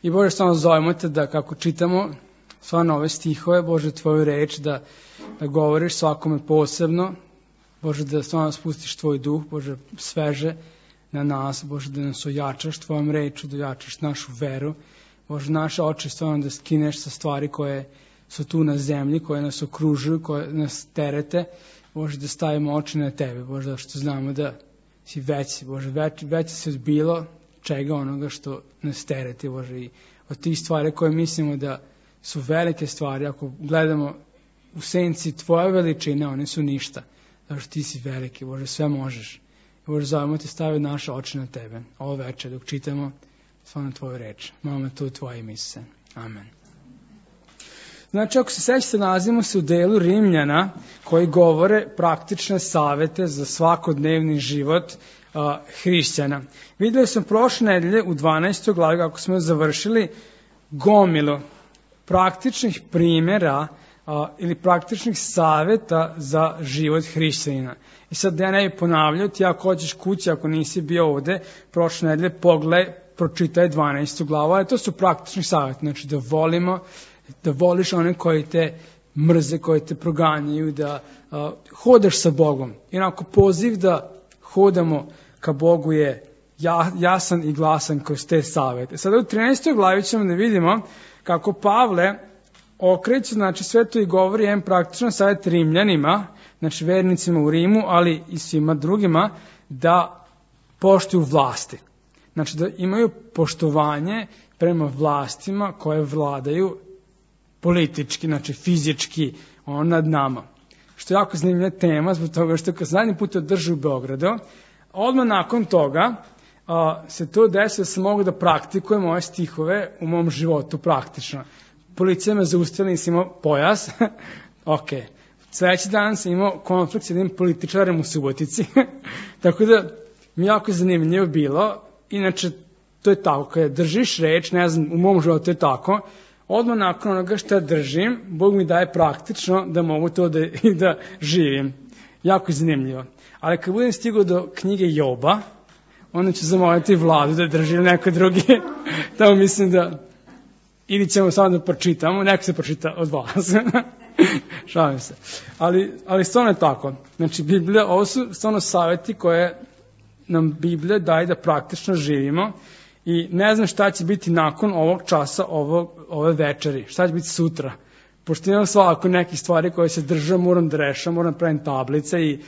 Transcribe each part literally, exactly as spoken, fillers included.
I Bože, stvarno zovemo te da kako čitamo stvarno ove stihove, Bože, tvoju reč, da, da govoriš svakome posebno, Bože, da stvarno spustiš tvoj duh, Bože, sveže na nas, Bože, da nas ojačaš tvojom reču, da ojačaš našu veru, Bože, naše oči stvarno da skineš sa stvari koje su tu na zemlji, koje nas okružuju, koje nas terete, Bože, da stavimo oči na tebe, Bože, da što znamo da si veći, Bože, veći, veći si od bilo čega onoga što nas terete, Bože, i od tih stvari koje mislimo da su velike stvari, ako gledamo u senci tvoje veličine, one su ništa, zato što ti si veliki, Bože, sve možeš. I Bože, zovemo te, stavi naše oči na tebe, ovo večer, dok čitamo stvarno tvoju reč. Molimo to u tvoje ime, Isuse. Amen. Znači, ako se sećate, nalazimo se u delu Rimljana koji govore praktične savete za svakodnevni život a, hrišćana. Videli smo prošle nedelje u dvanaestoj glavi, kako smo završili, gomilu praktičnih primjera a, ili praktičnih saveta za život hrišćanina. I sad da ja ne bi ponavljao, ti ako hoćeš kući, ako nisi bio ovde, prošle nedelje pogledaj, pročitaj dvanaestu glavu, ali to su praktični saveti, znači da volimo, da voliš one koji te mrze, koji te proganjaju, da uh, hodaš sa Bogom. Inako poziv da hodamo ka Bogu je ja, jasan i glasan kroz te savete. Sada u trinaestoj glavi ćemo da vidimo kako Pavle okreće, znači sve to i govori jedan praktičan savjet Rimljanima, znači vernicima u Rimu, ali i svima drugima, da poštuju vlasti. Znači da imaju poštovanje prema vlastima koje vladaju politički, znači fizički, on nad nama. Što je jako zanimljiva tema, zbog toga što kad zadnji put održu u Beogradu, odmah nakon toga a, se to desi da se mogu da praktikujem ove stihove u mom životu praktično. Policija me zaustavila, nisam imao pojas, ok. Sledeći dan sam imao konflikt s jednim političarem u Subotici, tako da mi jako zanimljivo bilo. Inače, to je tako, kada držiš reč, ne znam, u mom životu je tako, odmah nakon onoga što držim, Bog mi daje praktično da mogu to da, i da živim. Jako zanimljivo. Ali kad budem stigao do knjige Joba, onda ću zamoliti Vladu da drži ili neko drugi. Tamo mislim da ili ćemo samo da pročitamo, neko se pročita od vas. Šalim se. Ali, ali stvarno je tako. Znači, Biblija, ovo su stvarno savjeti koje nam Biblija daje da praktično živimo i ne znam šta će biti nakon ovog časa, ovog, ove večeri, šta će biti sutra. Pošto imam svako nekih stvari koje se držam, moram da rešam, moram da pravim tablice i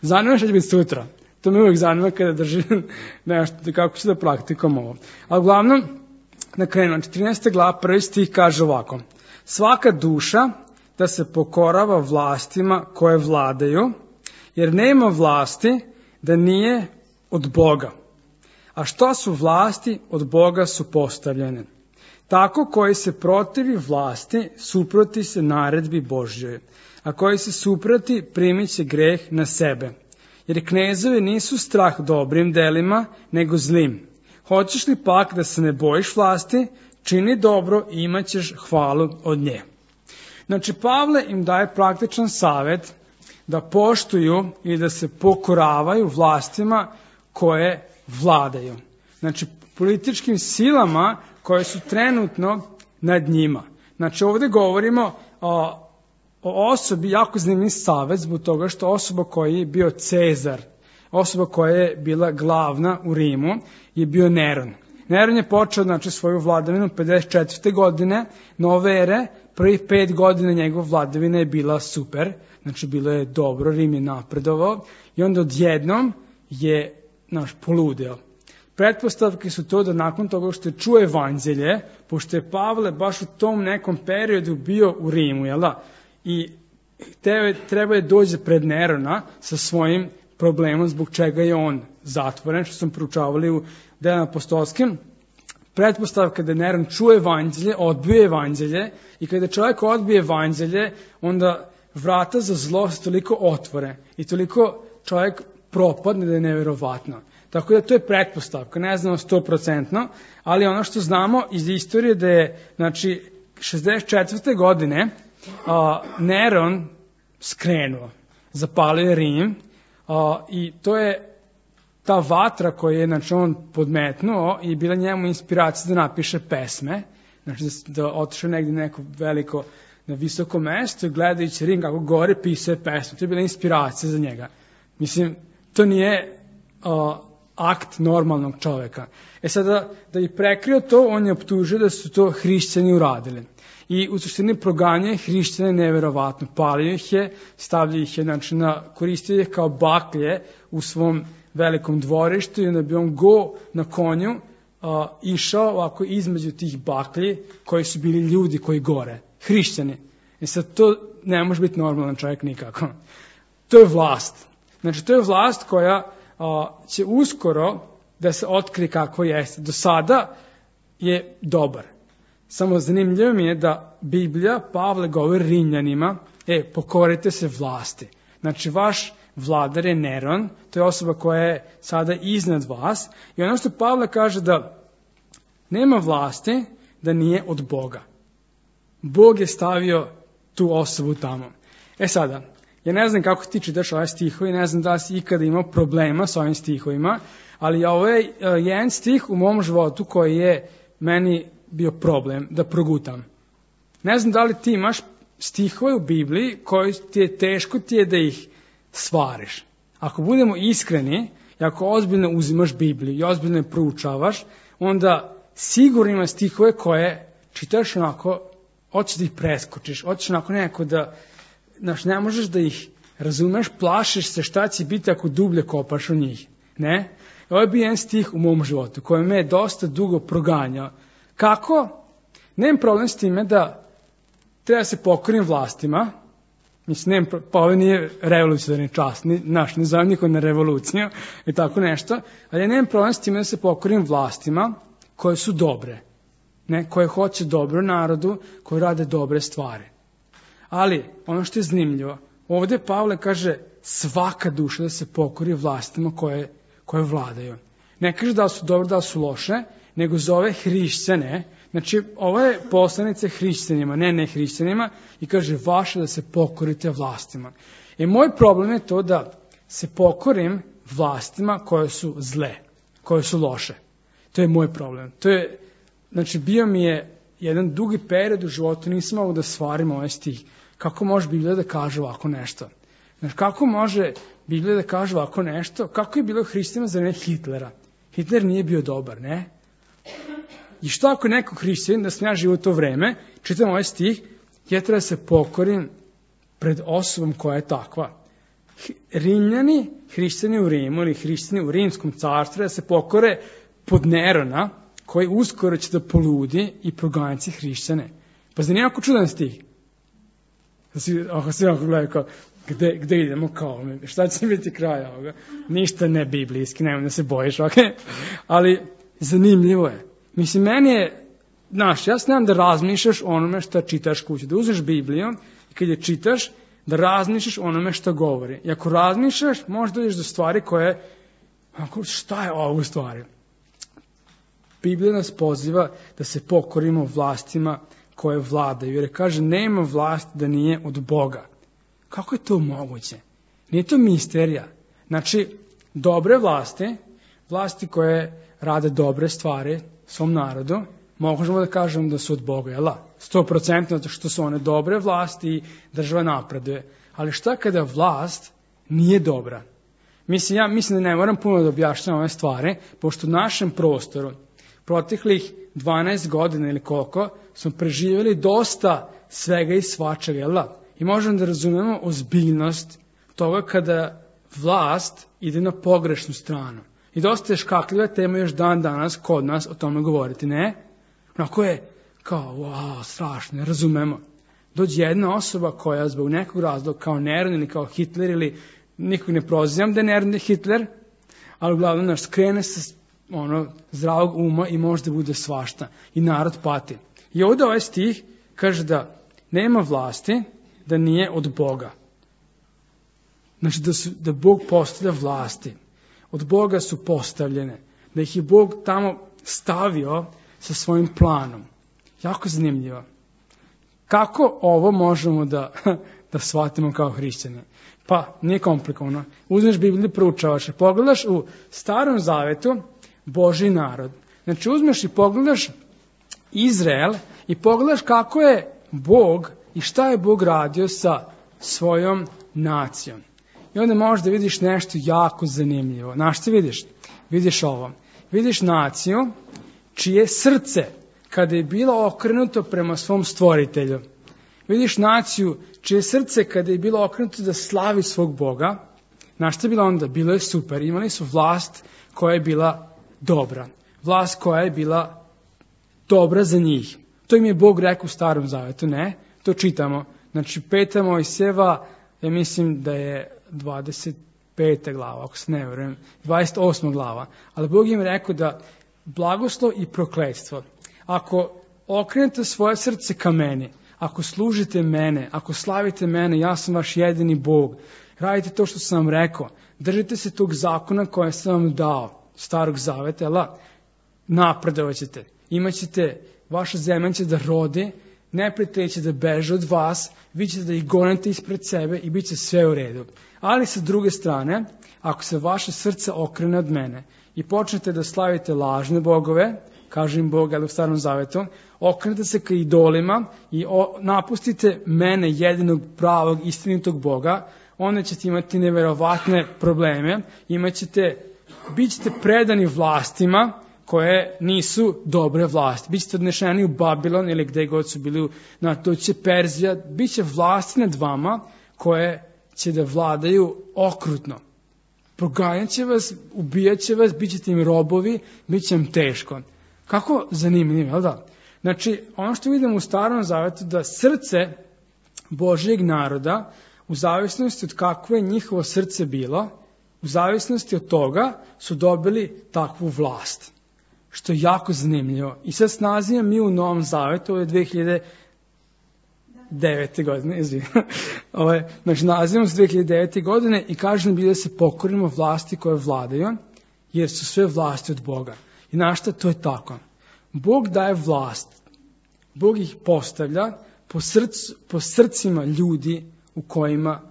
zanima šta će biti sutra. To me uvijek zanima kada držim nešto, kako ću da praktikujem ovo. Ali uglavnom, na krenu, četrnaesta glava, prvi stih kaže ovako. Svaka duša da se pokorava vlastima koje vladaju, jer nema vlasti da nije od Boga. A šta su vlasti, od Boga su postavljene. Tako koji se protivi vlasti, suproti se naredbi Božjoj. A koji se suproti, primit će greh na sebe. Jer knezovi nisu strah dobrim delima, nego zlim. Hoćeš li pak da se ne bojiš vlasti, čini dobro i imat ćeš hvalu od nje. Znači, Pavle im daje praktičan savjet da poštuju i da se pokoravaju vlastima koje vladaju. Znači, političkim silama koje su trenutno nad njima. Znači, ovdje govorimo o, o osobi, jako zanimljiv savjet zbog toga što osoba koja je bio Cezar, osoba koja je bila glavna u Rimu, je bio Neron. Neron je počeo, znači, svoju vladavinu pedeset četvrte godine nove ere, prvih pet godina njegov vladavina je bila super, znači bilo je dobro, Rim je napredovao i onda odjednom je, znaš, poludeo. Pretpostavke su to da nakon toga što je čuo evanđelje, pošto je Pavle baš u tom nekom periodu bio u Rimu, jel da? I tebe, treba je dođe pred Nerona sa svojim problemom zbog čega je on zatvoren, što sam proučavali u Delima apostolskim. Pretpostavka da Neron čuje evanđelje, odbije evanđelje i kada čovjek odbije evanđelje, onda vrata za zlo se toliko otvore i toliko čovjek propadne da je neverovatno. Tako da to je pretpostavka, ne znamo sto procentno, ali ono što znamo iz istorije da je, znači, šezdeset četvrte godine a, Neron skrenuo, zapalio je Rim a, i to je ta vatra koju je znači, on podmetnuo i bila njemu inspiracija da napiše pesme, znači da, da otišao negdje neko veliko na visoko mesto i gledajući Rim kako gore pisao je pesmu. To je bila inspiracija za njega. Mislim, to nije uh, akt normalnog čoveka. E sada, da bi prekrio to, on je optužio da su to hrišćani uradili. I u suštini proganjaju hrišćane neverovatno. Palio ih je, stavljaju ih je, znači, na, koristio ih kao baklje u svom velikom dvorištu i onda bi on go na konju uh, išao ovako između tih baklji koji su bili ljudi koji gore. Hrišćani. I sad to ne može biti normalan čovjek nikako. To je vlast. Znači to je vlast koja a, će uskoro da se otkrije kako jeste. Do sada je dobar. Samo zanimljivo mi je da Biblija, Pavle govori Rimljanima, e, pokorite se vlasti. Znači vaš vladar je Neron, to je osoba koja je sada iznad vas. I ono što Pavle kaže da nema vlasti da nije od Boga. Bog je stavio tu osobu tamo. E sada, ja ne znam kako ti čitaš ove stihove, ne znam da li si ikada imao problema s ovim stihovima, ali ovo je uh, jedan stih u mom životu koji je meni bio problem da progutam. Ne znam da li ti imaš stihove u Bibliji koji ti je teško ti je da ih svariš. Ako budemo iskreni i ako ozbiljno uzimaš Bibliju i ozbiljno je proučavaš, onda sigurno ima stihove koje čitaš onako, hoćeš da ih preskočiš, hoćeš onako nekako da, znaš, ne možeš da ih razumeš, plašiš se šta će biti ako dublje kopaš u njih. Ne? Ovo je bio jedan stih u mom životu koji me je dosta dugo proganjao. Kako? Nemam problem s time da treba se pokorim vlastima. Mislim, nemam, pa ovo nije revolucionarni čas, ni, naš, ne zovem niko na revoluciju i tako nešto, ali ja nemam problem s time da se pokorim vlastima koje su dobre. Ne, koje hoće dobro narodu, koji rade dobre stvari. Ali, ono što je zanimljivo, ovdje Pavle kaže svaka duša da se pokori vlastima koje, koje vladaju. Ne kaže da su dobro, da su loše, nego zove hrišćane. Znači, ovo je poslanica hrišćanima, ne ne hrišćanima, i kaže vaše da se pokorite vlastima. I moj problem je to da se pokorim vlastima koje su zle, koje su loše. To je moj problem. To je Znači, bio mi je jedan dugi period u životu, nisam mogao da svarim ovaj stih. Kako može Biblija da kaže ovako nešto? Znači, kako može Biblija da kaže ovako nešto? Kako je bilo hrišćanima za vreme Hitlera? Hitler nije bio dobar, ne? I što ako neko hrišćanin, da sam ja živo u to vreme, čitam ovaj stih, ja treba se pokorim pred osobom koja je takva. Rimljani, hrišćani u Rimu ili hrišćani u Rimskom carstvu, da se pokore pod Nerona, koji uskoro će da poludi i proganjati hrišćane. Pa zna nijako čudan stih. Ako se ovako gledaju kao, gde, gde idemo kao, šta će biti kraj ovoga? Ništa ne biblijski, nemoj da se bojiš, ok? Ali zanimljivo je. Mislim, meni je, znaš, ja znam da razmišljaš onome što čitaš kući, da uzmeš Bibliju i kad je čitaš, da razmišljaš onome što govori. I ako razmišljaš, možda dođeš do stvari koje, ako, šta je ovo u stvari? Biblija nas poziva da se pokorimo vlastima koje vladaju. Jer kaže, nema vlast da nije od Boga. Kako je to moguće? Nije to misterija. Znači, dobre vlasti, vlasti koje rade dobre stvari svom narodu, možemo da kažemo da su od Boga, jel da? sto posto zato što su one dobre vlasti i država napreduje. Ali šta kada vlast nije dobra? Mislim, ja mislim da ne moram puno da objašnjam ove stvari, pošto u našem prostoru proteklih dvanaest godina ili koliko smo preživjeli dosta svega i svačega, jel da? I možemo da razumemo ozbiljnost toga kada vlast ide na pogrešnu stranu. I dosta je škakljiva tema još dan danas kod nas o tome govoriti, ne? Onako je kao, wow, strašno, ne razumemo. Dođe jedna osoba koja zbog nekog razloga kao Neron ili kao Hitler ili nikog ne prozivam da je Neron da je Hitler, ali uglavnom naš skrene sa ono, zdravog uma i možda bude svašta. I narod pati. I ovdje ovaj stih kaže da nema vlasti da nije od Boga. Znači da, su, da Bog postavlja vlasti. Od Boga su postavljene. Da ih je Bog tamo stavio sa svojim planom. Jako zanimljivo. Kako ovo možemo da, da shvatimo kao hrišćani. Pa, nije komplikovano. Uzmeš Bibliju, proučavaš, pogledaš u Starom Zavetu Božji narod. Znači, uzmeš i pogledaš Izrael i pogledaš kako je Bog i šta je Bog radio sa svojom nacijom. I onda možeš da vidiš nešto jako zanimljivo. Znaš što vidiš? Vidiš ovo. Vidiš naciju čije srce, kada je bilo okrenuto prema svom stvoritelju. Vidiš naciju čije srce, kada je bilo okrenuto da slavi svog Boga. Znaš što je bilo onda? Bilo je super. Imali su vlast koja je bila dobra. Vlast koja je bila dobra za njih. To im je Bog rekao u Starom Zavetu, ne? To čitamo. Znači, peta Mojsijeva, ja mislim da je dvadeset peta glava, ako se ne verujem, dvadeset osma glava. Ali Bog im rekao da blagoslov i prokletstvo. Ako okrenete svoje srce ka meni, ako služite mene, ako slavite mene, ja sam vaš jedini Bog. Radite to što sam vam rekao. Držite se tog zakona koje sam vam dao, Starog Zaveta, ala, napredovat ćete. Imaćete, vaša zemlja će da rodi, neprijatelji će da beže od vas, vi ćete da ih gonete ispred sebe i bit će sve u redu. Ali sa druge strane, ako se vaše srce okrene od mene i počnete da slavite lažne bogove, kaže im Bog, ali u Starom Zavetu, okrenete se ka idolima i o, napustite mene, jedinog pravog, istinitog Boga, onda ćete imati neverovatne probleme, imaćete, bit ćete predani vlastima koje nisu dobre vlasti. Bićete odnešeni u Babilon ili gde god su bili, na to će Perzija, bit će vlasti nad vama koje će da vladaju okrutno. Proganjat će vas, ubijat će vas, bit ćete im robovi, bit će im teško. Kako zanimljivo, jel da? Znači, ono što vidimo u Starom Zavetu, da srce Božjeg naroda, u zavisnosti od kakvo je njihovo srce bilo, u zavisnosti od toga su dobili takvu vlast. Što je jako zanimljivo. I sad snazimo mi u Novom Zavetu, ovo je dve hiljade devete godine, izvijem. Znači, nazivamo se dve hiljade devete godine i kaže nam da se pokorimo vlasti koje vladaju, jer su sve vlasti od Boga. I znaš šta, to je tako. Bog daje vlast. Bog ih postavlja po, srcu, po srcima ljudi u kojima,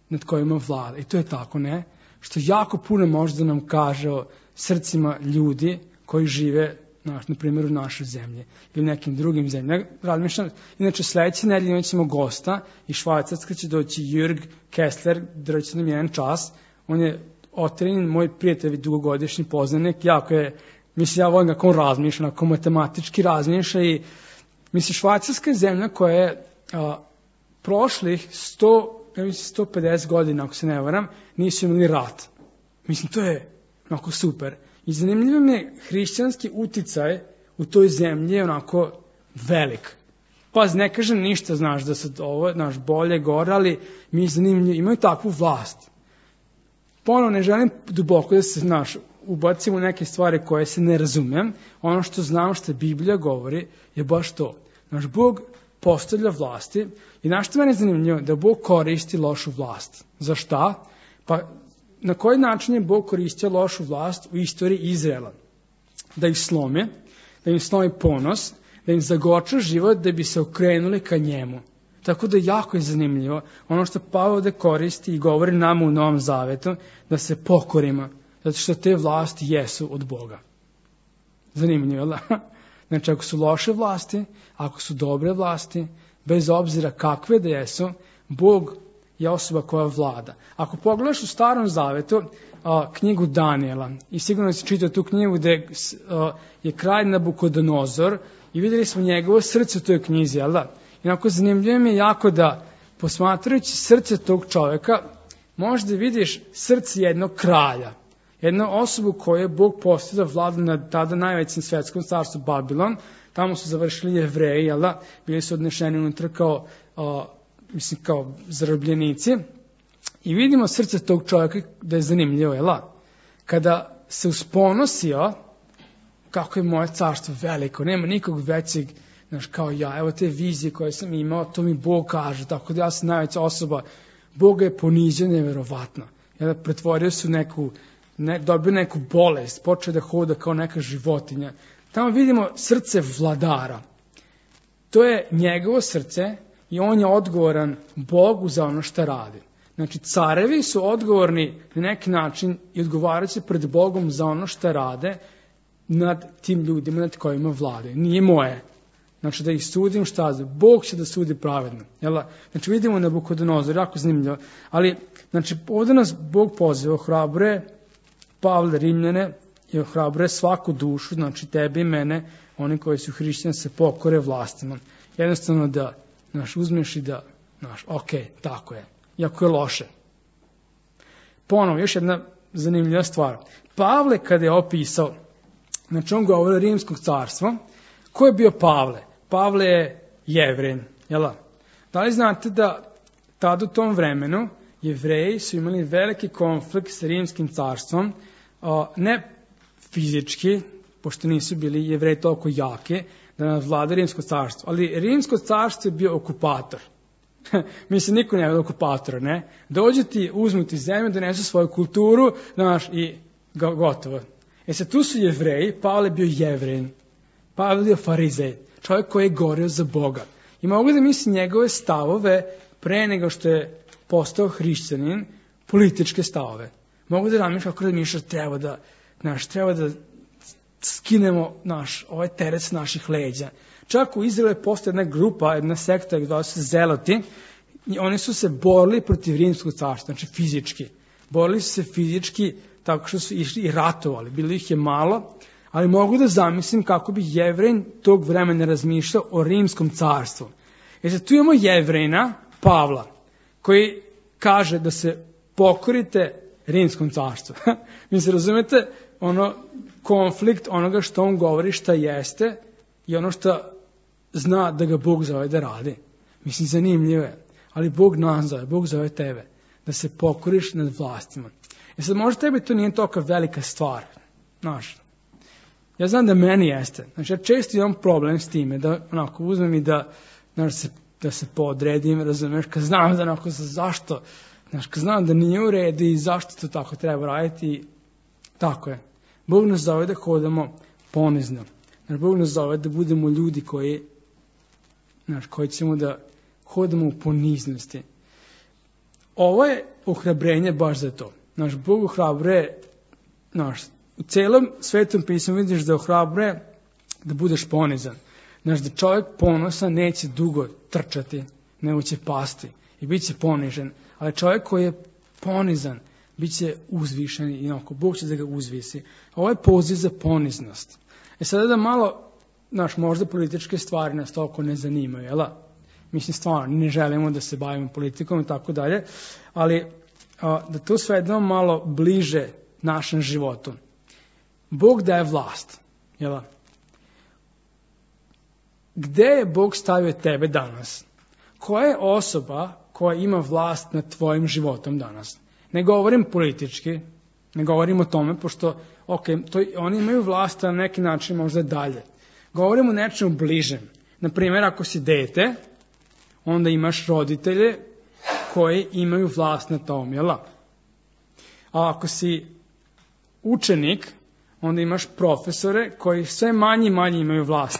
nad kojima vlada. I to je tako, ne? Što jako puno može da nam kaže o srcima ljudi koji žive, naš, na primjer, u našoj zemlji ili nekim drugim zemljama. Razmišljam, inače, sledeće nedelje imat ćemo gosta iz Švajcarska će doći Jürg Kessler, držat nam jedan čas. On je Otrin, moj prijatelj, dugogodišnji poznanik, jako je, mislim, ja volim kako on razmišlja, kako matematički razmišlja i, mislim, Švajcarska je zemlja koja je a, prošlih sto, ja mislim, sto pedeset godina, ako se ne varam, nisu imali rat. Mislim, to je onako super. I zanimljivo mi je hrišćanski uticaj u toj zemlji je onako velik. Pa ne kažem ništa, znaš, da sad ovo, znaš, bolje, gore, ali mi je zanimljivo, imaju takvu vlast. Ponovno, ne želim duboko da se, znaš, ubacim u neke stvari koje se ne razumem. Ono što znam što Biblija govori je baš to. Naš Bog postavlja vlasti i znaš što meni je zanimljivo? Da Bog koristi lošu vlast. Za šta? Pa na koji način je Bog koristio lošu vlast u istoriji Izraela? Da ih slomi, da im slomi ponos, da im zagoča život da bi se okrenuli ka njemu. Tako da jako je zanimljivo ono što Pavao ovde koristi i govori nama u Novom Zavetu, da se pokorimo, zato što te vlasti jesu od Boga. Zanimljivo, da? Znači, ako su loše vlasti, ako su dobre vlasti, bez obzira kakve da jesu, Bog je osoba koja vlada. Ako pogledaš u Starom Zavetu a, knjigu Danijela, i sigurno si čitao tu knjigu gde a, je kralj Nabukodonozor i videli smo njegovo srce u toj knjizi, jel da? Inako zanimljivo mi je jako da, posmatrajući srce tog čoveka, možeš da vidiš srce jednog kralja, jednu osobu koju je Bog postavio da vlada nad tada najvećim svetskom carstvu Babilon. Tamo su završili Jevreji, jel da? Bili su odnešeni unutra kao, a, mislim, kao zarobljenici. I vidimo srce tog čovjeka da je zanimljivo, jel da? Kada se usponosio, kako je moje carstvo veliko, nema nikog većeg, znaš, kao ja, evo te vizije koje sam imao, to mi Bog kaže, tako da ja sam najveća osoba. Bog je ponizio neverovatno. Jel da? Pretvorio su neku, ne, dobio neku bolest, počeo da hoda kao neka životinja. Tamo vidimo srce vladara. To je njegovo srce i on je odgovoran Bogu za ono što radi. Znači, carevi su odgovorni na neki način i odgovaraju se pred Bogom za ono što rade nad tim ljudima nad kojima vlade. Nije moje. Znači, da ih sudim šta za. Bog će da sudi pravedno. Jel? Znači, vidimo Nabukodonozor, jako zanimljivo. Ali, znači, ovdje nas Bog poziva, ohrabruje Pavle Rimljane i ohrabruje svaku dušu, znači tebe i mene, oni koji su hrišćani, se pokore vlastima. Jednostavno da, znaš, uzmeš i da, znaš, ok, tako je. Iako je loše. Ponovo, još jedna zanimljiva stvar. Pavle kada je opisao, znači on govori o rimskog carstva, ko je bio Pavle? Pavle je Jevrin, jel? Da li znate da tad u tom vremenu Jevreji su imali veliki konflikt s rimskim carstvom, ne fizički, pošto nisu bili Jevreji toliko jake, da nas vlada rimsko carstvo, ali rimsko carstvo je bio okupator. Mislim, niko ne je okupatora, ne? Dođu ti, uzmu ti zemlju, donesu svoju kulturu, znaš, i gotovo. E sad, tu su Jevreji, Pavle je bio Jevrin, Pavle je bio farizej, čovjek koji je gorio za Boga. I mogu da mislim njegove stavove pre nego što je postao hrišćanin, političke stavove. Mogu da razmišljam kako da mišlja treba da, znaš, treba da skinemo naš, ovaj teret s naših leđa. Čak u Izraelu je postala jedna grupa, jedna sekta, gdje su se zeloti, i oni su se borili protiv rimskog carstva, znači fizički. Borili su se fizički tako što su išli i ratovali. Bilo ih je malo, ali mogu da zamislim kako bi Jevrin tog vremena razmišljao o rimskom carstvu. Jer sad tu imamo Jevrina, Pavla, koji kaže da se pokorite rimskom carstvu. Mi se razumete, ono, konflikt onoga što on govori šta jeste i ono što zna da ga Bog zove da radi. Mislim, zanimljivo je. Ali Bog nas zove, Bog zove tebe, da se pokoriš nad vlastima. E sad, možda tebi to nije toliko velika stvar. Znaš, ja znam da meni jeste. Znači, ja često imam problem s time, da onako uzmem i da, znaš, se, da se podredim, razumeš, kad znam da onako zašto, znaš, kad znam da nije u redu i zašto to tako treba raditi, tako je. Bog nas zove da hodamo ponizno. Znaš, Bog nas zove da budemo ljudi koji, znaš, koji ćemo da hodamo u poniznosti. Ovo je ohrabrenje baš za to. Naš Bog ohrabruje, znaš, u celom svetom pismu vidiš da ohrabruje da budeš ponizan. Znaš, da čovjek ponosan neće dugo trčati, nego će pasti i bit će ponižen. Ali čovjek koji je ponizan, bit će uzvišen i onako, Bog će da ga uzvisi. Ovo je poziv za poniznost. E sada da malo, znaš, možda političke stvari nas toliko ne zanimaju, jel? Mislim, stvarno, ne želimo da se bavimo politikom i tako dalje, ali a, da to svedemo malo bliže našem životu. Bog daje vlast, jel? Gde je Bog stavio tebe danas? Koja je osoba koja ima vlast nad tvojim životom danas? Ne govorim politički, ne govorim o tome, pošto, ok, to, oni imaju vlast na neki način možda dalje. Govorim o nečemu bližem. Naprimjer, ako si dete, onda imaš roditelje koji imaju vlast na tom, jel? A ako si učenik, onda imaš profesore koji sve manje i manje imaju vlast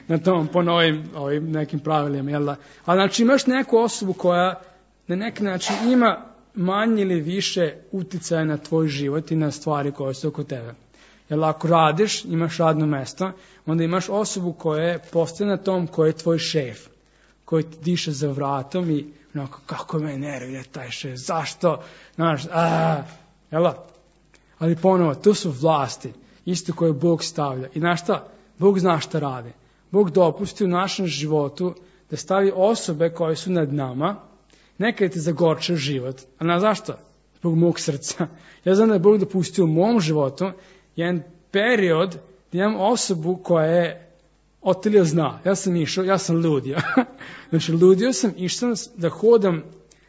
na tom, po novim ovim nekim pravilima, jel? A znači imaš neku osobu koja na neki način ima manje ili više uticaja na tvoj život i na stvari koje su oko tebe. Jer ako radiš, imaš radno mesto, onda imaš osobu koja je postoje na tom, koja je tvoj šef, koji ti diše za vratom i onako, kako me nervira taj šef, zašto, znaš, aaa, jel? Ali ponovo, to su vlasti, isto koje Bog stavlja. I znaš šta? Bog zna šta radi. Bog dopusti u našem životu da stavi osobe koje su nad nama, nekad ti zagorče život. A na zašto? Zbog mog srca. Ja znam da je Bog dopustio u mom životu jedan period da imam osobu koja je Otilija zna. Ja sam išao, ja sam ludio. Znači, ludio sam, išao sam da hodam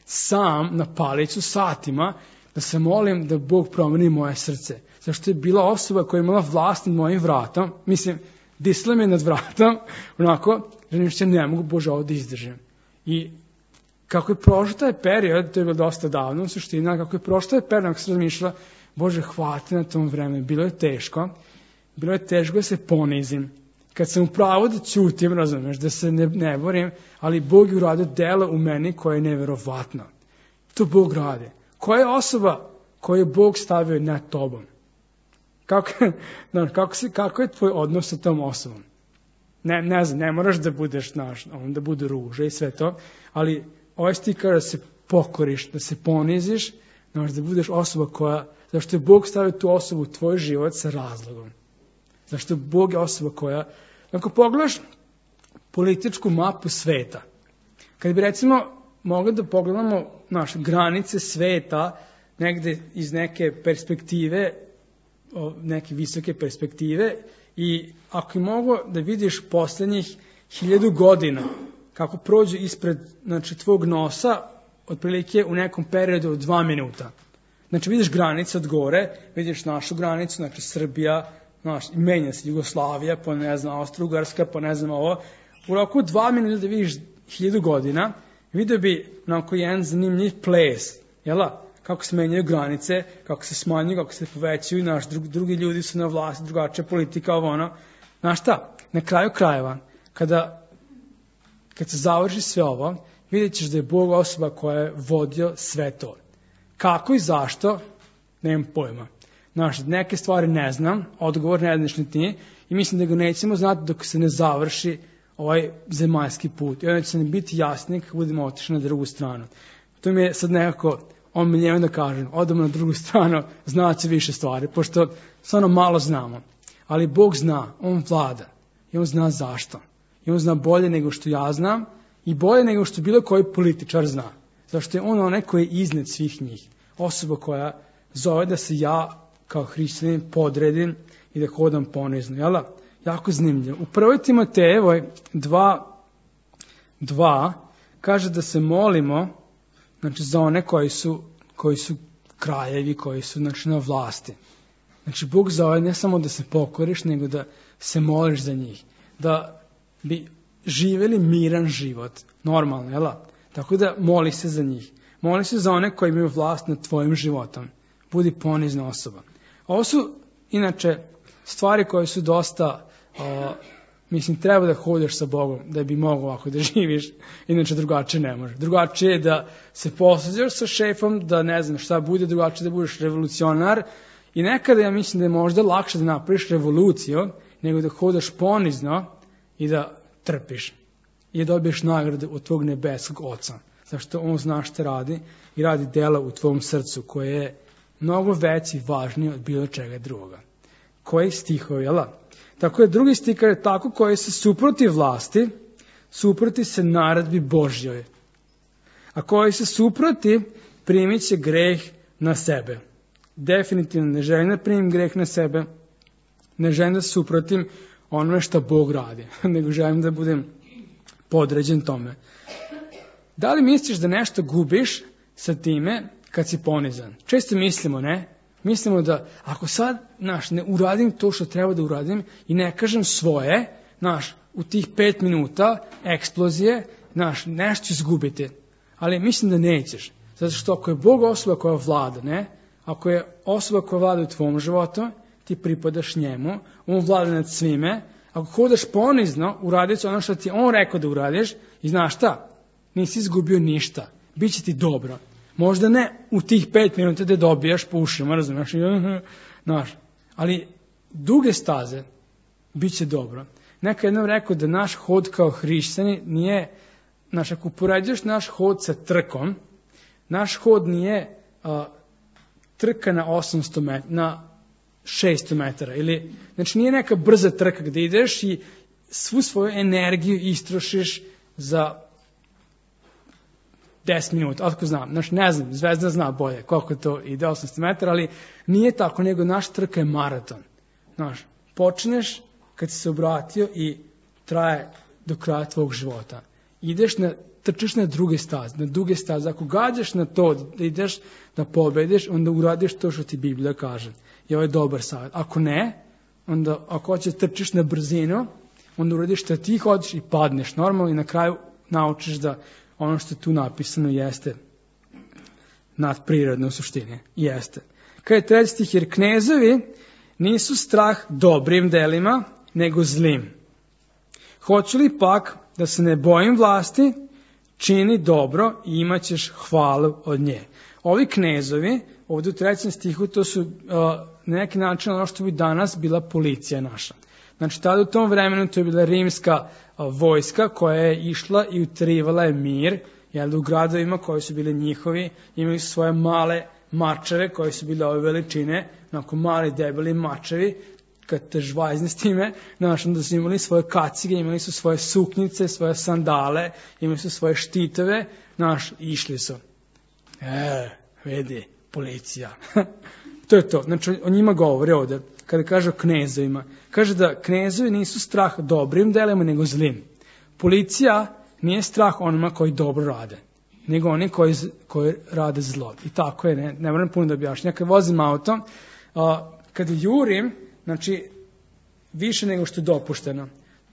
sam na palicu satima, da se molim da Bog promeni moje srce. Zašto je bila osoba koja je imala vlast nad mojim vratom, mislim, disla me nad vratom, onako, želim što ne mogu, Bože, ovo da izdržim. I kako je prošao taj period, to je bilo dosta davno, u suštini, kako je prošao taj period, ako se razmišljala, Bože, hvati na tom vremenu, bilo je teško, bilo je teško da se ponizim. Kad sam u pravu da ćutim, razumeš, da se ne, ne borim, ali Bog je uradio delo u meni koje je neverovatno. To Bog radi. Koja je osoba koju je Bog stavio nad tobom? Kako, kako, se, kako je tvoj odnos sa tom osobom? Ne, ne znam, ne moraš da budeš naš, da bude ruža i sve to, ali ovaj stih kaže da se pokoriš, da se poniziš, znaš, da budeš osoba koja, zašto je Bog stavio tu osobu u tvoj život sa razlogom. Zašto Bog je osoba koja, ako pogledaš političku mapu sveta, kad bi recimo mogli da pogledamo naše granice sveta negde iz neke perspektive, neke visoke perspektive, i ako je mogo da vidiš poslednjih hiljadu godina kako prođu ispred, znači, tvog nosa, otprilike u nekom periodu od dva minuta. Znači vidiš granice od gore, vidiš našu granicu, znači Srbija, znaš, menja se Jugoslavija, pa ne znam, Austro-Ugarska, pa ne znam ovo. U roku dva minuta da vidiš hiljadu godina, vidio bi onako jedan zanimljiv ples, jela? Kako se menjaju granice, kako se smanjuju, kako se povećaju, naš drugi, drugi ljudi su na vlasti, drugačija politika, ovo ono. Znaš šta, na kraju krajeva, kada, kad se završi sve ovo, vidjet ćeš da je Bog osoba koja je vodio sve to. Kako i zašto, nemam pojma. Znaš, neke stvari ne znam, odgovor ne znaš ni ti, i mislim da ga nećemo znati dok se ne završi ovaj zemaljski put. I onda će nam biti jasnije kako budemo otišli na drugu stranu. To mi je sad nekako omiljeno da kažem, odemo na drugu stranu, znat će više stvari, pošto stvarno malo znamo. Ali Bog zna, on vlada i on zna zašto. I on zna bolje nego što ja znam i bolje nego što bilo koji političar zna. Zašto je on onaj koji je iznad svih njih. Osoba koja zove da se ja kao hrišćanin podredim i da hodam ponizno. Jel? Jako zanimljivo. U prvoj Timotejevoj dva, dva kaže da se molimo, znači, za one koji su, koji su kraljevi, koji su, znači, na vlasti. Znači, Bog zove ne samo da se pokoriš, nego da se moliš za njih. Da bi živjeli miran život, normalno, jel? Tako da moli se za njih. Moli se za one koji imaju vlast nad tvojim životom. Budi ponizna osoba. Ovo su, inače, stvari koje su dosta, o, mislim, treba da hodeš sa Bogom, da bi mogao ovako da živiš, inače drugačije ne može. Drugačije je da se posvađaš sa šefom, da ne znam šta bude, drugačije da budeš revolucionar, i nekada ja mislim da je možda lakše da napraviš revoluciju, nego da hodaš ponizno i da trpiš. I da dobiješ nagradu od tvog nebeskog Oca. Zašto on zna šta radi i radi dela u tvom srcu koje je mnogo veći i važniji od bilo čega drugoga. Koji stihovi, jel? Tako je drugi stih kaže tako koji se suproti vlasti, suproti se naredbi Božjoj. A koji se suproti, primit će greh na sebe. Definitivno ne želim da primim greh na sebe, ne želim da suprotim onome što Bog radi, nego želim da budem podređen tome. Da li misliš da nešto gubiš sa time kad si ponizan? Često mislimo, ne? Mislimo da ako sad, naš, ne uradim to što treba da uradim i ne kažem svoje, naš, u tih pet minuta eksplozije, naš, nešto ću izgubiti. Ali mislim da nećeš. Zato što ako je Bog osoba koja vlada, ne? Ako je osoba koja vlada u tvom životu, ti pripadaš njemu, on vlada nad svime. Ako hodaš ponizno, uradit će ono što ti on rekao da uradiš i znaš šta? Nisi izgubio ništa. Biće ti dobro. Možda ne u tih pet minuta da dobijaš po ušima, razumiješ? Znaš, ali duge staze bit će dobro. Neka jednom rekao da naš hod kao hrišćani nije, znaš, ako upoređuješ naš hod sa trkom, naš hod nije a, trka na osamsto metara, na šesto metara. Ili, znači nije neka brza trka gde ideš i svu svoju energiju istrošiš za deset minuta, otko znam, znači ne znam, Zvezda zna bolje koliko to ide, osamsto metara, ali nije tako, nego naš trka je maraton. Znaš, počneš kad si se obratio i traje do kraja tvog života. Ideš na, trčiš na druge staze, na duge staze. Ako gađaš na to da ideš da pobediš, onda uradiš to što ti Biblija kaže. I ovo je dobar savjet. Ako ne, onda ako hoćeš trčiš na brzinu, onda uradiš što ti hoćeš i padneš normalno i na kraju naučiš da ono što je tu napisano jeste nadprirodno u suštini. Jeste. Kad je treći stih, jer knezovi nisu strah dobrim delima, nego zlim. Hoću li pak da se ne bojim vlasti, čini dobro i imat ćeš hvalu od nje. Ovi knezovi, ovdje u trećem stihu, to su uh, na neki način ono što bi danas bila policija naša. Znači, tada u tom vremenu to je bila rimska uh, vojska koja je išla i uterivala je mir, jer u gradovima koji su bili njihovi, imali su svoje male mačeve koji su bile ove veličine, onako mali debeli mačevi, kad te žvajzne s time, znaš, da su imali svoje kacige, imali su svoje suknjice, svoje sandale, imali su svoje štitove, znaš, išli su. E, vidi, policija. To je to. Znači, o njima govori ovdje, kada kaže o knezovima. Kaže da knezovi nisu strah dobrim delima, nego zlim. Policija nije strah onima koji dobro rade, nego oni koji, koji rade zlo. I tako je, ne, ne moram puno da objašnjam. Kad vozim auto, a, kad jurim, znači, više nego što je dopušteno.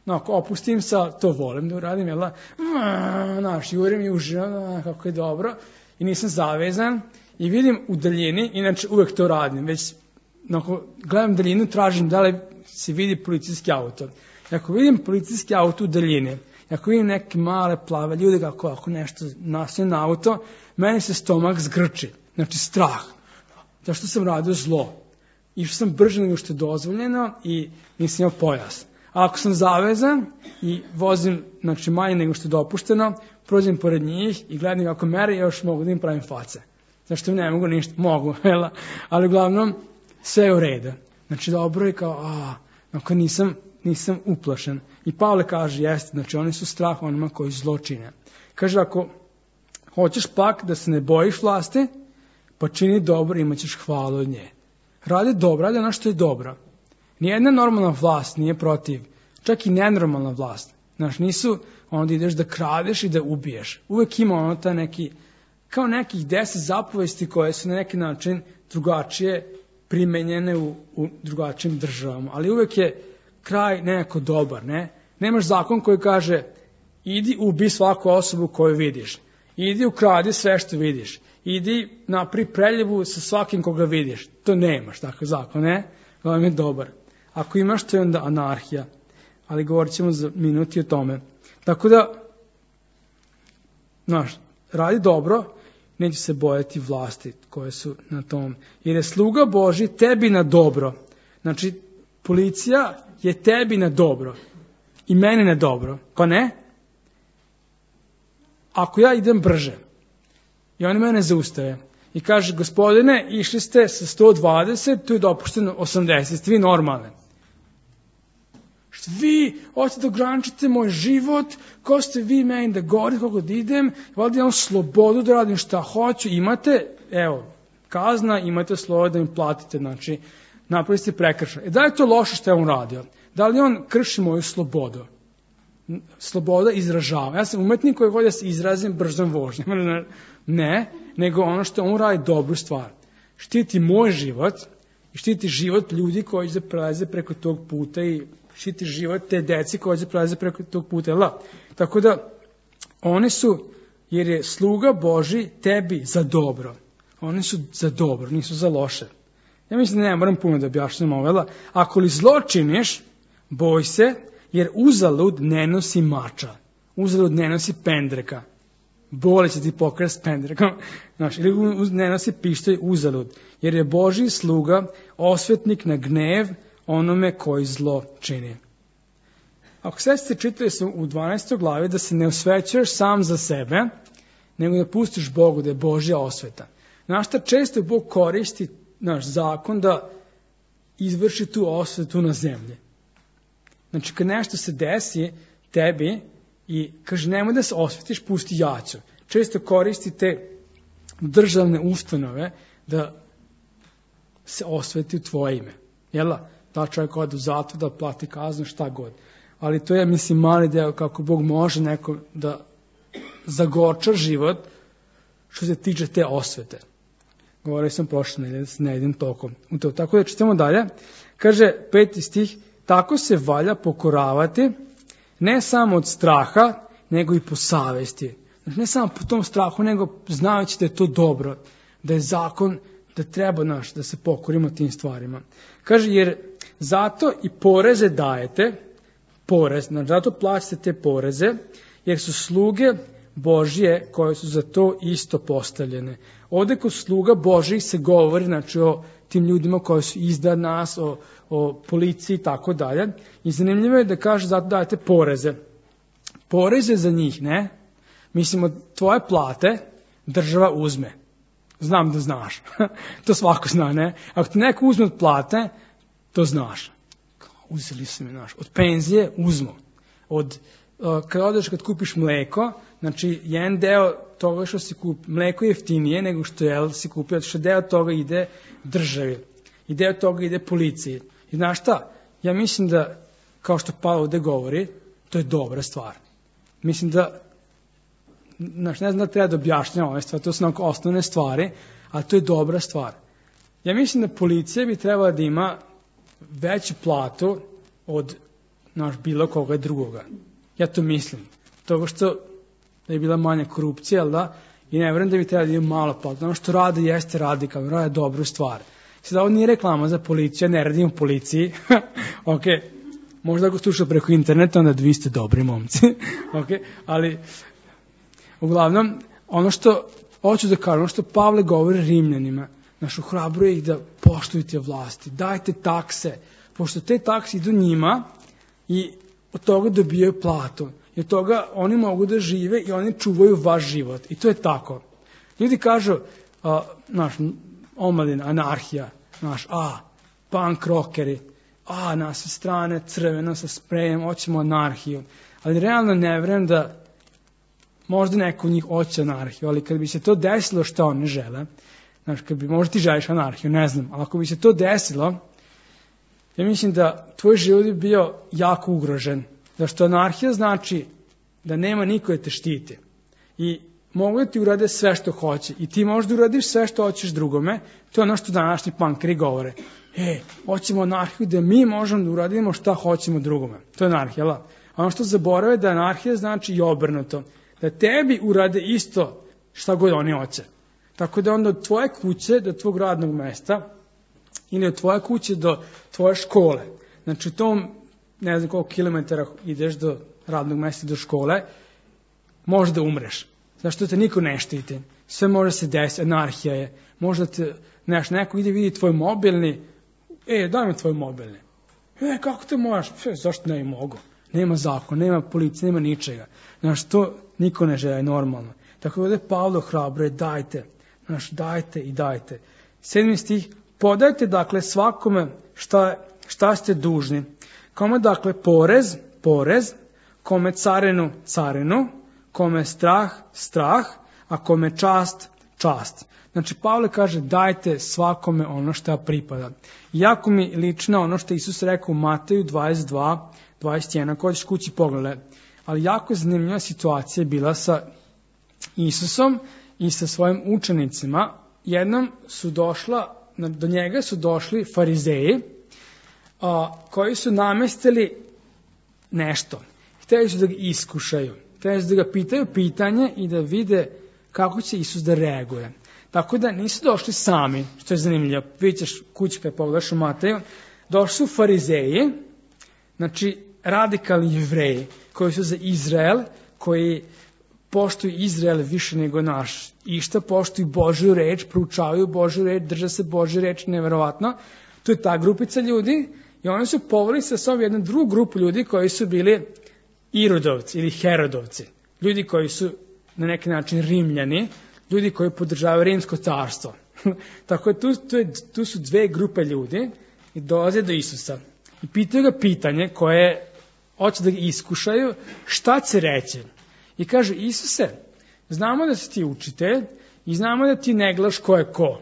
No, ako opustim sa, to volim da uradim, jel da? Znaš, jurim i uživam, kako je dobro. I nisam zavezan i vidim u daljini, inače uvek to radim, već ako gledam daljinu, tražim da li se vidi policijski auto. I ako vidim policijski auto u daljini, ako vidim neke male plave ljude kako ako nešto nastoje na auto, meni se stomak zgrči, znači strah. Zašto sam radio zlo? Išao sam brže nego što je dozvoljeno i nisam imao pojas. A ako sam zavezan i vozim, znači, manje nego što je dopušteno, prođem pored njih i gledam kako mere, još mogu da im pravim face. Zašto ne mogu ništa? Mogu, jel? Ali uglavnom sve je u redu. Znači dobro je kao, a, ako nisam, nisam uplašen. I Pavle kaže, jeste, znači oni su strah onima koji zlo čine. Kaže, ako hoćeš pak da se ne bojiš vlasti, pa čini dobro, imat ćeš hvalu od nje. Radi dobro, radi ono što je dobro. Nijedna normalna vlast nije protiv, čak i nenormalna vlast. Znaš, nisu onda ideš da kradeš i da ubiješ. Uvek ima ono ta neki, kao nekih deset zapovesti koje su na neki način drugačije primenjene u, u drugačijim državama. Ali uvek je kraj nekako dobar, ne? Nemaš zakon koji kaže idi ubi svaku osobu koju vidiš. Idi ukradi sve što vidiš. Idi napri preljevu sa svakim koga vidiš. To nemaš, takav zakon, ne? Ovo je dobar. Ako imaš, to je onda anarhija. Ali govorit ćemo za minuti o tome. Tako da, znaš, radi dobro, neće se bojati vlasti koje su na tom. Jer je sluga Božji tebi na dobro. Znači, policija je tebi na dobro. I meni na dobro. Pa ne? Ako ja idem brže i oni mene zaustave i kaže, gospodine, išli ste sa sto dvadeset, tu je dopušteno osamdeset, vi normalne. Što vi hoćete da ograničite moj život, ko ste vi meni da govorite kako da idem, valjda imam slobodu da radim šta hoću, imate, evo, kazna, imate slobodu da im platite, znači, napravite prekršaj. E da je to loše što je on radio? Da li on krši moju slobodu? Sloboda izražava. Ja sam umetnik koji voli da se izrazim brzom vožnjom. Ne, nego ono što on radi dobru stvar. Štiti moj život i štiti život ljudi koji se prelaze preko tog puta i štiti život te deci koji se prelaze preko tog puta. La. Tako da oni su, jer je sluga Božji tebi za dobro. Oni su za dobro, nisu za loše. Ja mislim da ne moram puno da objašnjam ovo. Ako li zlo činiš, boj se, jer uzalud ne nosi mača. Uzalud ne nosi pendreka. Boli će ti pokrati s pendrekom. Znaš, ili ne nosi pištolj uzalud. Jer je Božji sluga osvetnik na gnev onome koji zlo čini. Ako sve ste čitali su u dvanaestoj glavi da se ne osvećuješ sam za sebe, nego da pustiš Bogu da je Božja osveta. Znaš šta često Bog koristi naš zakon da izvrši tu osvetu na zemlji. Znači, kad nešto se desi tebi i kaže nemoj da se osvetiš, pusti jacu. Često koristi te državne ustanove da se osveti u tvoje ime. Jela? Da čovjek ode u zatvor, da plati kaznu, šta god. Ali to je, mislim, mali deo kako Bog može neko da zagorča život što se tiče te osvete. Govorio sam prošle nedelje, ne idem tokom u to. Tako da čitamo dalje. Kaže, peti stih, tako se valja pokoravati, ne samo od straha, nego i po savesti. Znači, ne samo po tom strahu, nego znajući da je to dobro, da je zakon, da treba naš, da se pokorimo tim stvarima. Kaže, jer zato i poreze dajete, porez. Znači, zato plaćate te poreze, jer su sluge Božje koje su za to isto postavljene. Ovde kod sluga Božjih se govori, znači, o tim ljudima koji su iznad nas, o, o policiji i tako dalje. I zanimljivo je da kaže zato dajete poreze. Poreze za njih, ne? Mislimo, tvoje plate država uzme. Znam da znaš. To svako zna, ne? Ako ti neko uzme od plate, to znaš. Uzeli su mi, znaš. Od penzije uzmu. Od, uh, kad odeš, kad kupiš mleko, znači, jedan deo toga što si kupi, mleko je jeftinije nego što je, si kupio, što deo toga ide državi. I deo toga ide policiji. I znaš šta? Ja mislim da, kao što Pavle ovde govori, to je dobra stvar. Mislim da, znaš, ne znam da treba da objašnjam ove stvari, to su onako osnovne stvari, ali to je dobra stvar. Ja mislim da policija bi trebala da ima veću platu od, znaš, bilo koga drugoga. Ja to mislim. Toga što da je bila manja korupcija, ali da, i ne vjerujem da bi trebala da ima malo platu. Ono što rade jeste radikalno, rade dobru stvar. Sada ovo nije reklama za policiju, ja ne radim u policiji, ok, možda ako sluša preko interneta, onda vi ste dobri momci, ok, ali uglavnom, ono što hoću da kažem, ono što Pavle govori Rimljanima, naš ohrabruje ih da poštujete vlasti, dajte takse, pošto te takse idu njima i od toga dobijaju platu. I od toga oni mogu da žive i oni čuvaju vaš život. I to je tako. Ljudi kažu, a, naš, omladina, anarhija, naš, a, punk rockeri, a, na sve strane, crveno sa sprejem, hoćemo anarhiju. Ali realno ne vjerujem da možda neko od njih hoće anarhiju, ali kad bi se to desilo što oni žele, znaš, kad bi, možda ti želiš anarhiju, ne znam, ali ako bi se to desilo, ja mislim da tvoj život bi bio jako ugrožen. Zašto anarhija znači da nema niko da te štiti. I mogu da ti urade sve što hoće. I ti možda uradiš sve što hoćeš drugome. To je ono što današnji punkeri govore. E, hoćemo anarhiju da mi možemo da uradimo šta hoćemo drugome. To je anarhija, la? A ono što zaborave da anarhija znači i obrnuto. Da tebi urade isto šta god oni hoće. Tako da onda od tvoje kuće do tvog radnog mesta ili od tvoje kuće do tvoje škole. Znači u tom, ne znam koliko kilometara ideš do radnog mesta, do škole, možeš da umreš. Zašto te niko ne štiti? Sve može se desiti, anarhija je. Možda te, neš, neko ide vidi tvoj mobilni, e, daj mi tvoj mobilni. E, kako te možeš? E, zašto ne mogu? Nema zakon, nema policije, nema ničega. Znaš, to niko ne žele normalno. Tako da ovdje Pavlo hrabruje, dajte, znaš, dajte i dajte. Sedmi stih, podajte dakle svakome šta, šta ste dužni. Kome dakle porez, porez, kome carinu, carinu, kome strah, strah, a kome čast, čast. Znači, Pavle kaže, dajte svakome ono što pripada. Jako mi lično ono što Isus rekao u Mateju dvadeset dva, dvadeset jedan, ako ćeš kući pogledaj. Ali jako zanimljiva situacija je bila sa Isusom i sa svojim učenicima. Jednom su došla, do njega su došli farizeji, a, koji su namestili nešto. Hteli su da ga iskušaju. Hteli su da ga pitaju pitanje i da vide kako će Isus da reaguje. Tako da nisu došli sami, što je zanimljivo. Vidjet ćeš kući kad pogledaš u Mateju. Došli su farizeji, znači radikalni jevreji, koji su za Izrael, koji poštuju Izrael više nego naš. I šta poštuju Božju reč, proučavaju Božju reč, drže se Božju reč, neverovatno. To je ta grupica ljudi i oni su poveli sa sobom jednu drugu grupu ljudi koji su bili Irodovci ili Herodovci. Ljudi koji su na neki način Rimljani, ljudi koji podržavaju Rimsko carstvo. Tako da tu, tu, je, tu su dve grupe ljudi i dolaze do Isusa. I pitaju ga pitanje koje hoće da ga iskušaju, šta će reći? I kažu, Isuse, znamo da si ti učitelj i znamo da ti ne gledaš ko je ko.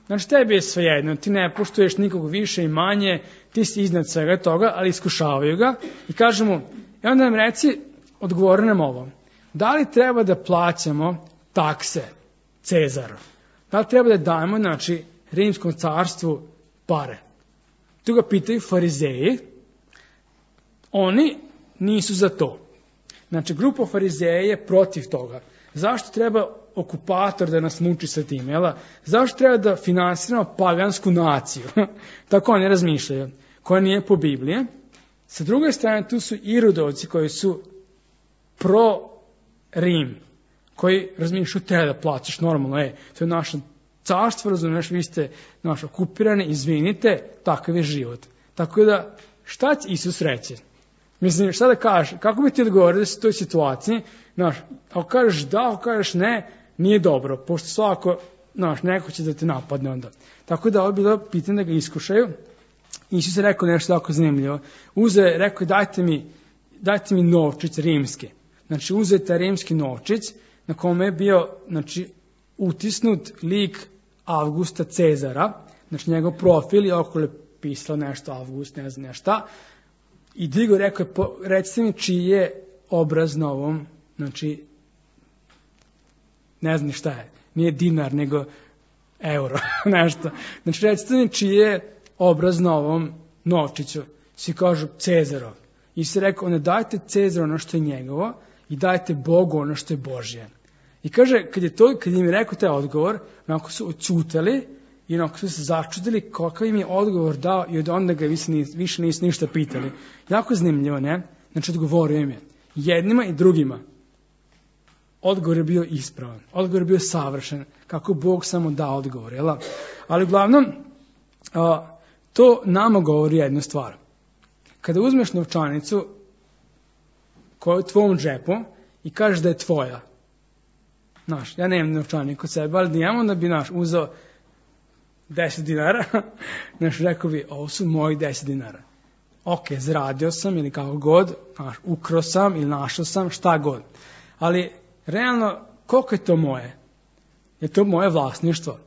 Znači, tebi je svejedno, ti ne poštuješ nikog više i manje, ti si iznad svega toga, ali iskušavaju ga i kažu mu, i onda nam reci, odgovori nam ovo, da li treba da plaćamo takse Cezaru? Da li treba da dajemo, znači, Rimskom carstvu pare? Tu ga pitaju farizeji, oni nisu za to. Znači, grupa farizeja je protiv toga. Zašto treba okupator da nas muči sa tim, jela? Zašto treba da finansiramo pagansku naciju? Tako oni razmišljaju. Koja nije po Bibliji. Sa druge strane, tu su Irodovci koji su pro-Rim, koji razmišljaju te da plaćaš normalno, e, to je naše carstvo, razumiješ, vi ste naš okupirani, izvinite, takav je život. Tako da, šta će Isus reći? Mislim, šta da kažeš? Kako bi ti odgovorio u toj situaciji? Znaš, ako kažeš da, ako kažeš ne, nije dobro, pošto svako, znaš, neko će da te napadne onda. Tako da, ovo je bilo pitanje da ga iskušaju. Isus je rekao nešto tako zanimljivo. Uzeo je, rekao je, dajte mi, dajte mi novčić rimski. Znači, uzeo je taj rimski novčić na kome je bio, znači, utisnut lik Avgusta Cezara, znači njegov profil i okolo je pisalo nešto Avgust, ne znam nešta. I digo rekao je, recite mi čiji je obraz na ovom, znači, ne znam šta je, nije dinar, nego euro, nešto. Znači, recite mi čiji je obraz na ovom novčiću. Svi kažu Cezarov. I se rekao, ne dajte Cezaru ono što je njegovo i dajte Bogu ono što je Božje. I kaže, kad je to, kad im je rekao taj odgovor, onako su odsutali i onako su se začudili kakav im je odgovor dao i od onda ga više, nis, više nisu ništa pitali. Jako zanimljivo, ne? Znači, odgovorio im je. Jednima i drugima. Odgovor je bio ispravan. Odgovor je bio savršen. Kako Bog samo da odgovor, jel? Ali uglavnom, a, to nama govori jednu stvar. Kada uzmeš novčanicu koja je u tvom džepu i kažeš da je tvoja, znaš, ja nemam novčanik kod sebe, ali nijem, onda bi, znaš, uzeo deset dinara, znaš, rekao bi, ovo su moji deset dinara. Ok, zaradio sam ili kako god, znaš, ukro sam ili našao sam, šta god. Ali, realno, koliko je to moje? Je to moje vlasništvo?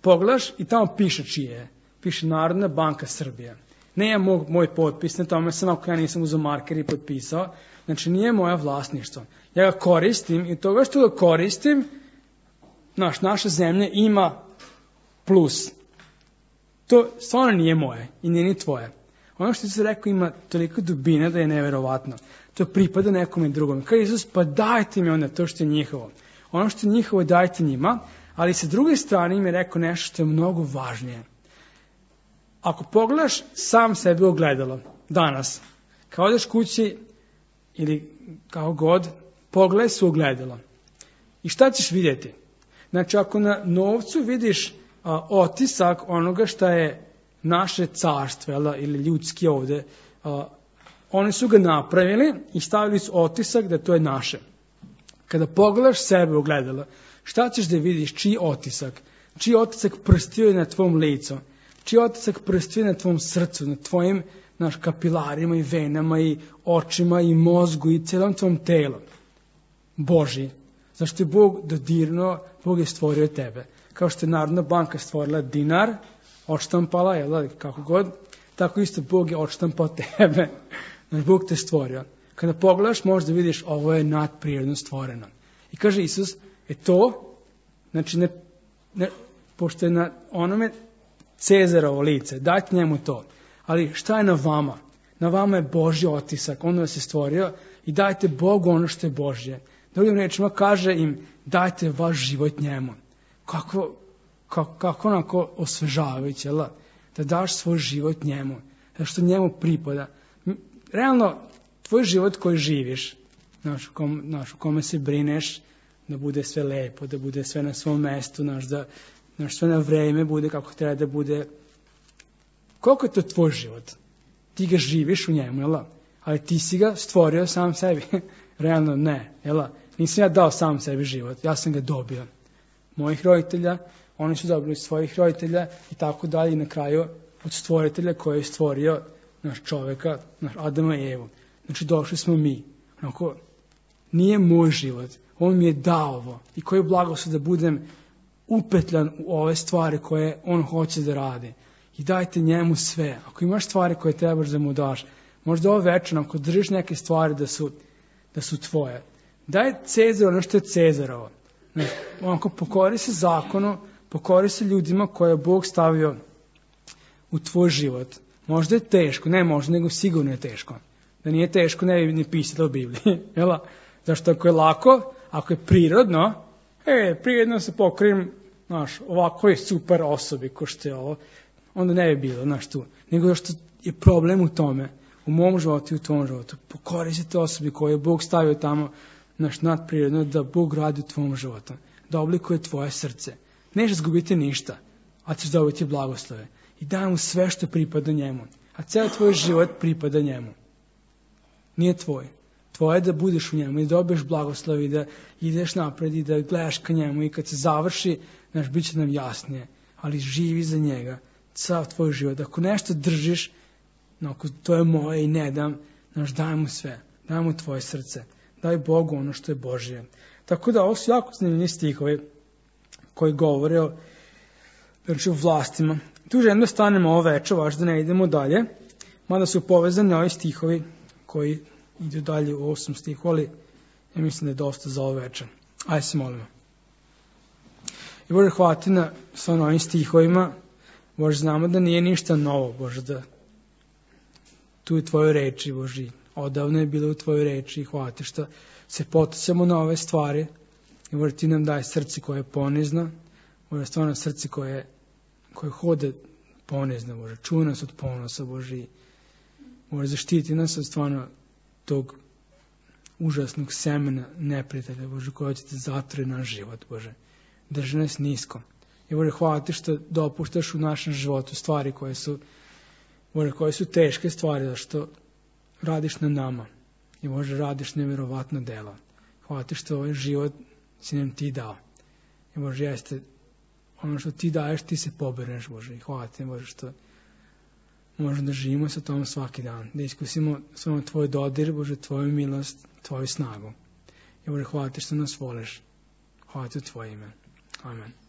Pogledaš i tamo piše čije je. Piše Narodna banka Srbije. Ne je moj, moj potpis, na tome sam ako ja nisam uzeo marker i potpisao. Znači, nije moja vlasništvo. Ja ga koristim i toga što ga koristim, naš, naša zemlja ima plus. To stvarno nije moje i nije ni tvoje. Ono što se rekao ima toliko dubine da je neverovatno. To pripada nekome drugom. Kaže Isus, pa dajte mi onda to što je njihovo. Ono što je njihovo dajte njima, ali sa druge strane im je rekao nešto što je mnogo važnije. Ako pogledaš sam sebe u ogledalo danas, kao odeš kući ili kao god, pogledaj se u ogledalo. I šta ćeš vidjeti? Znači, ako na novcu vidiš a, otisak onoga šta je naše carstvo, jel, ili ljudski ovde, a, oni su ga napravili i stavili su otisak da to je naše. Kada pogledaš sebe u ogledalo, šta ćeš da vidiš? Čiji otisak? Čiji otisak prstio je na tvom licu? Čiji otisak prstio na tvom srcu, na tvojim naš, kapilarima i venama i očima i mozgu i celom tvom telu? Božji. Zašto je Bog dodirnuo, Bog je stvorio tebe. Kao što je Narodna banka stvorila dinar, odštampala, jel, kako god, tako isto Bog je odštampao tebe. Znači, Bog te stvorio. Kada pogledaš, možda vidiš ovo je nadprirodno stvoreno. I kaže Isus, e to, znači, ne, ne, pošto je na onome Cezarovo lice, dajte njemu to. Ali šta je na vama? Na vama je Božji otisak, on vas je stvorio i dajte Bogu ono što je Božje. Drugim rečima kaže im, dajte vaš život njemu. Kako, kako, kako onako osvežavajuće, jel? Da daš svoj život njemu, da što njemu pripada. Realno, tvoj život koji živiš, znaš, u, kom, znaš, u kome se brineš, da bude sve lepo, da bude sve na svom mestu, znaš, da znaš, sve na vreme bude kako treba da bude. Koliko je to tvoj život? Ti ga živiš u njemu, jel? Ali ti si ga stvorio sam sebi. Realno ne, jel? Nisam ja dao sam sebi život, ja sam ga dobio. Mojih roditelja, oni su dobili svojih roditelja i tako dalje i na kraju od stvoritelja koji je stvorio naš čoveka, naš Adama i Evu. Znači došli smo mi. Onako, nije moj život, on mi je dao ovo. I koji blagoslov da budem upetljan u ove stvari koje on hoće da radi. I dajte njemu sve. Ako imaš stvari koje trebaš da mu daš, možda ovo večer, ako držiš neke stvari da su, da su tvoje, daj Cezaru ono što je Cezarovo. Ne, onako, pokori se zakonu, pokori se ljudima koje je Bog stavio u tvoj život. Možda je teško, ne možda, nego sigurno je teško. Da nije teško, ne bi ni pisalo u Bibliji. Jel? Zašto ako je lako, ako je prirodno, e, prirodno se pokrim, znaš, ovakvoj super osobi ko što je ovo, onda ne bi bilo, znaš, tu. Nego što je problem u tome. u mom životu i u tvom životu. Pokori se te osobi koje je Bog stavio tamo, naš nadprirodno, da Bog radi u tvom životu, da oblikuje tvoje srce. Nećeš zgubiti ništa, a ćeš dobiti blagoslove. I daj mu sve što pripada njemu. A ceo tvoj život pripada njemu. Nije tvoj. Tvoje je da budeš u njemu i da dobiješ blagoslov i da ideš napred i da gledaš ka njemu i kad se završi, znaš, bit će nam jasnije. Ali živi za njega, sav tvoj život. Ako nešto držiš, no, ako to je moje i ne dam, znaš, daj mu sve. Daj mu tvoje srce. Daj Bogu ono što je Božije. Tako da ovo su jako zanimljivi stihovi koji govore o, znači, o vlastima. Tu želim da stanemo ovo večer, vaš da ne idemo dalje, mada su povezani ovi stihovi koji idu dalje u osam stihu, ali ja mislim da je dosta za ovo večer. Ajde se molimo. I Bože, hvala ti na sa ovim stihovima. Bože, znamo da nije ništa novo, Bože, da tu je tvoje reči, Bože, odavno je bilo u tvojoj reči i hvala ti što se potičemo na ove stvari. I Bože, ti nam daj srce koje je ponizno, Bože, stvarno srce koje, koje hode ponizno, Bože, čuva nas od ponosa, Bože, i Bože, zaštiti nas od stvarno tog užasnog semena neprijatelja, Bože, koja će te zatvori naš život, Bože. Drži nas nisko. I Bože, hvala ti što dopuštaš u našem životu stvari koje su, Bože, koje su teške stvari, da što radiš na nama. I Bože, radiš nevjerovatno dela. Hvala ti što ovaj život si nam ti dao. I Bože, jeste ono što ti daješ, ti se poberneš, Bože. I hvala ti, Bože, što možemo da živimo sa tom svaki dan. Da iskusimo svojom tvoj dodir, Bože, tvoju milost, tvoju snagu. I Bože, hvala ti što nas voliš. Hvala ti u tvoje ime. Amen.